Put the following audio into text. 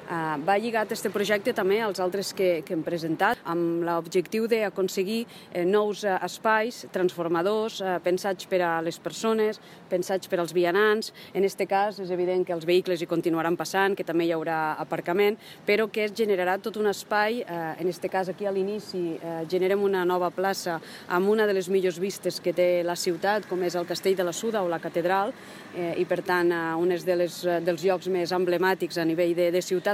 Va lligat aquest projecte també als altres que hem presentat, amb l'objectiu d'aconseguir nous espais transformadors, pensats per a les persones, pensats per als vianants. En aquest cas és evident que els vehicles hi continuaran passant, que també hi haurà aparcament, però que es generarà tot un espai, en aquest cas aquí a l'inici generem una nova plaça amb una de les millors vistes que té la ciutat, com és el Castell de la Suda o la Catedral, i per tant un dels llocs més emblemàtics a nivell de ciutat.